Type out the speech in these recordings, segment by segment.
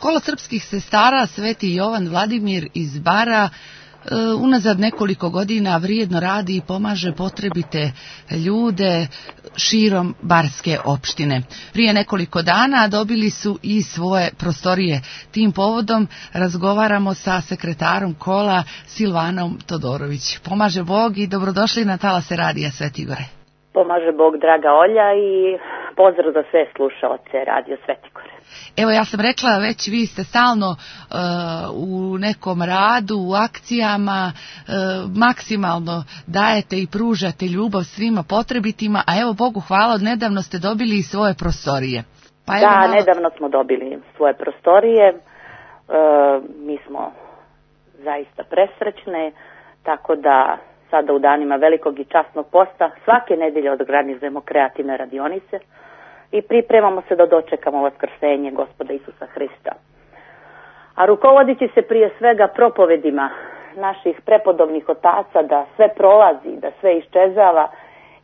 Kolo srpskih sestara Sveti Jovan Vladimir iz Bara unazad nekoliko godina vrijedno radi i pomaže potrebite ljude širom Barske opštine. Prije nekoliko dana dobili su i svoje prostorije. Tim povodom razgovaramo sa sekretarom kola Silvanom Todorović. Pomaže Bog i dobrodošli na talase radija Svetigore. Pomaže Bog, draga Olja, i pozdrav za sve slušaoce Radio Svetigore. Evo, ja sam rekla već, vi ste stalno u nekom radu, u akcijama, maksimalno dajete i pružate ljubav svima potrebitima, a evo Bogu hvala, nedavno ste dobili i svoje prostorije. Pa da, nedavno smo dobili svoje prostorije, mi smo zaista presrećne, tako da sada u danima velikog i časnog posta svake nedelje organizujemo kreativne radionice i pripremamo se da dočekamo vaskrsenje Gospoda Isusa Hrista. A rukovodići se prije svega propovedima naših prepodobnih otaca da sve prolazi, da sve iščezava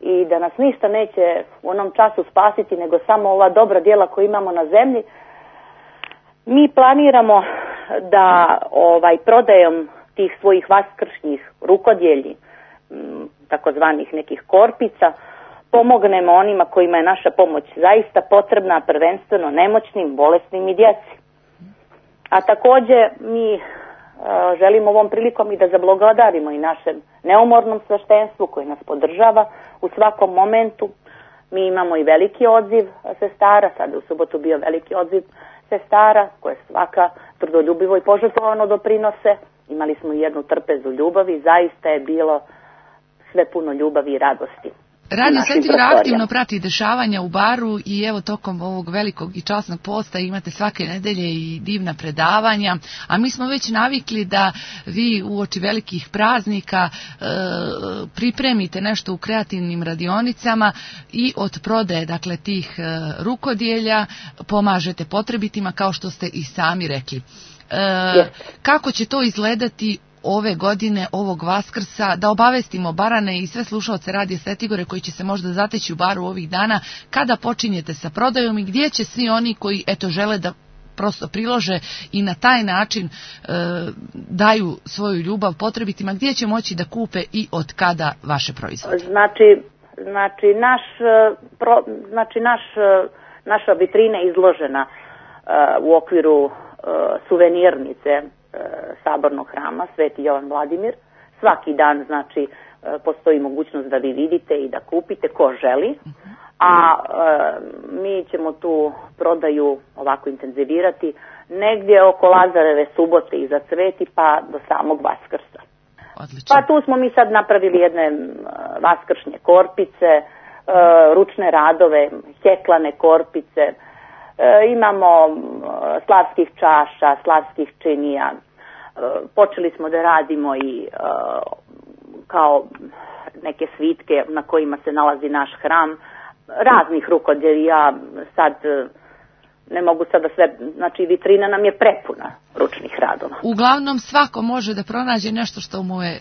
i da nas ništa neće u onom času spasiti nego samo ova dobra djela koja imamo na zemlji, mi planiramo da prodajom tih svojih vaskršnjih rukodjelji, takozvanih nekih korpica, pomognemo onima kojima je naša pomoć zaista potrebna, prvenstveno nemoćnim, bolesnim i djeci. A također mi želimo ovom prilikom i da zablagodarimo i našem neumornom sveštenstvu koji nas podržava u svakom momentu. Mi imamo i veliki odziv sestara, sada u subotu bio veliki odziv sestara koje svaka trudoljubivo i požrtvovano doprinose. Imali smo i jednu trpezu ljubavi, zaista je bilo sve puno ljubavi i radosti. Radio Svetigora aktivno prati dešavanja u Baru i evo tokom ovog velikog i časnog posta imate svake nedelje i divna predavanja, a mi smo već navikli da vi uoči velikih praznika pripremite nešto u kreativnim radionicama i od prodaje, dakle, tih rukodjelja pomažete potrebitima, kao što ste i sami rekli. Kako će to izgledati ove godine, ovog Vaskrsa, da obavestimo Barane i sve slušaoce Radija Svetigore koji će se možda zateći u Baru ovih dana, kada počinjete sa prodajom i gdje će svi oni koji žele da prosto prilože i na taj način daju svoju ljubav potrebitima, gdje će moći da kupe i od kada vaše proizvode? Naša vitrina je izložena u okviru suvenirnice Sabornog hrama Sveti Jovan Vladimir. Svaki dan, znači, postoji mogućnost da vi vidite i da kupite ko želi, a mi ćemo tu prodaju ovako intenzivirati negdje oko Lazareve subote iza Cveti pa do samog Vaskrsa. Odlično. Pa tu smo mi sad napravili jedne vaskršnje korpice, ručne radove, heklane korpice, imamo slavskih čaša, slavskih činija. Počeli smo da radimo i kao neke svitke na kojima se nalazi naš hram, raznih rukodjelja, sad ne mogu sada sve, znači vitrina nam je prepuna ručnih radova. Uglavnom svako može da pronađe nešto što mu je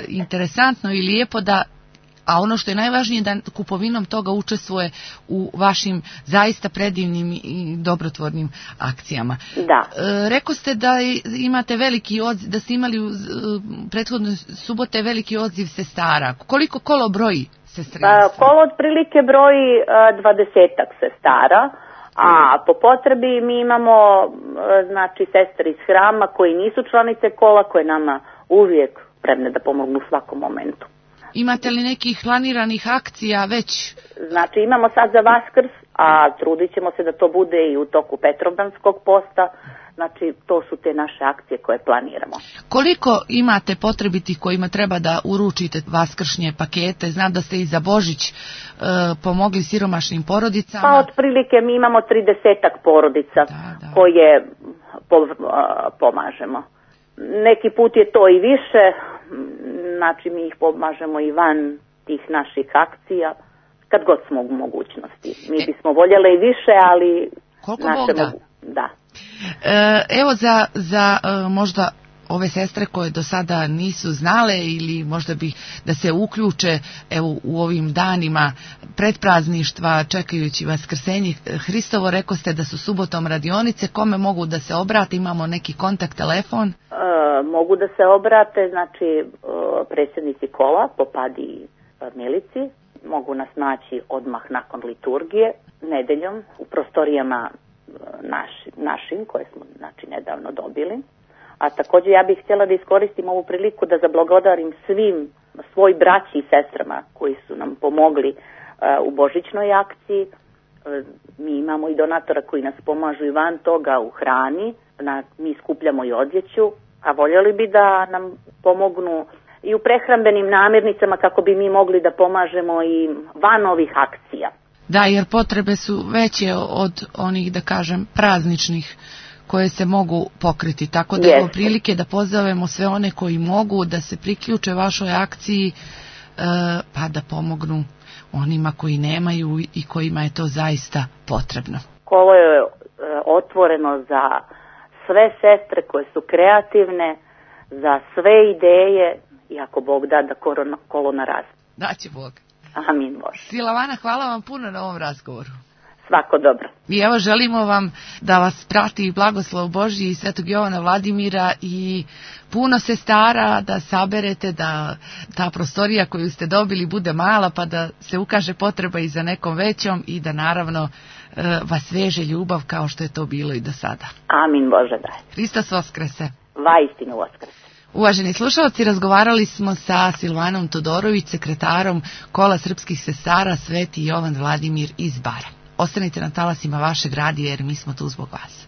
interesantno i lijepo, a ono što je najvažnije da kupovinom toga učestvuje u vašim zaista predivnim i dobrotvornim akcijama. Da. Rekao ste da imate veliki odziv, da ste imali u prethodne subote veliki odziv sestara. Koliko kolo broji sestrina? Kolo otprilike broji 20-ak sestara, a po potrebi mi imamo znači sestre iz hrama koji nisu članice kola, koje nama uvijek spremne da pomognu u svakom momentu. Imate li nekih planiranih akcija već? Znači imamo sad za Vaskrs, a trudit ćemo se da to bude i u toku Petrovdanskog posta. Znači to su te naše akcije koje planiramo. Koliko imate potrebiti kojima treba da uručite vaskršnje pakete? Znam da ste i za Božić pomogli siromašnim porodicama. Pa otprilike mi imamo 30-ak porodica koje pomažemo. Neki put je to i više, znači mi ih pomažemo i van tih naših akcija, kad god smo u mogućnosti. Mi bismo voljeli i više, ali koliko Bog da. Da. Evo za možda ove sestre koje do sada nisu znale ili možda bi da se uključe u ovim danima predprazništva čekajući Vaskrsenje Hristovo? Rekao ste da su subotom radionice. Kome mogu da se obrate? Imamo neki kontakt, telefon? Mogu da se obrate, znači predsjednici kola, popadi Milici. Mogu nas naći odmah nakon liturgije, nedeljom, u prostorijama našim koje smo znači nedavno dobili. A također ja bih htjela da iskoristim ovu priliku da zablagodarim svim svoj braći i sestrama koji su nam pomogli u božićnoj akciji. Mi imamo i donatora koji nas pomažu i van toga u hrani, mi skupljamo i odjeću, a voljeli bi da nam pomognu i u prehrambenim namirnicama kako bi mi mogli da pomažemo i van ovih akcija. Da, jer potrebe su veće od onih, da kažem, prazničnih koje se mogu pokriti. Tako da imamo prilike da pozovemo sve one koji mogu da se priključe vašoj akciji, pa da pomognu onima koji nemaju i kojima je to zaista potrebno. Kolo je otvoreno za sve sestre koje su kreativne, za sve ideje i ako Bog da kolo naraste. Daće Bog. Amin Bože. Silavana, hvala vam puno na ovom razgovoru. Svako dobro. I evo želimo vam da vas prati blagoslov Božji i Svetog Jovana Vladimira i puno sestara da saberete, da ta prostorija koju ste dobili bude mala pa da se ukaže potreba i za nekom većom i da naravno vas veže ljubav kao što je to bilo i do sada. Amin Bože daj. Hristos Voskrese. Vaistinu Voskrese. Uvaženi slušalci, razgovarali smo sa Silvanom Todorović, sekretarom Kola srpskih sestara Sveti Jovan Vladimir iz Bara. Ostanite na talasima vašeg radija jer mi smo tu zbog vas.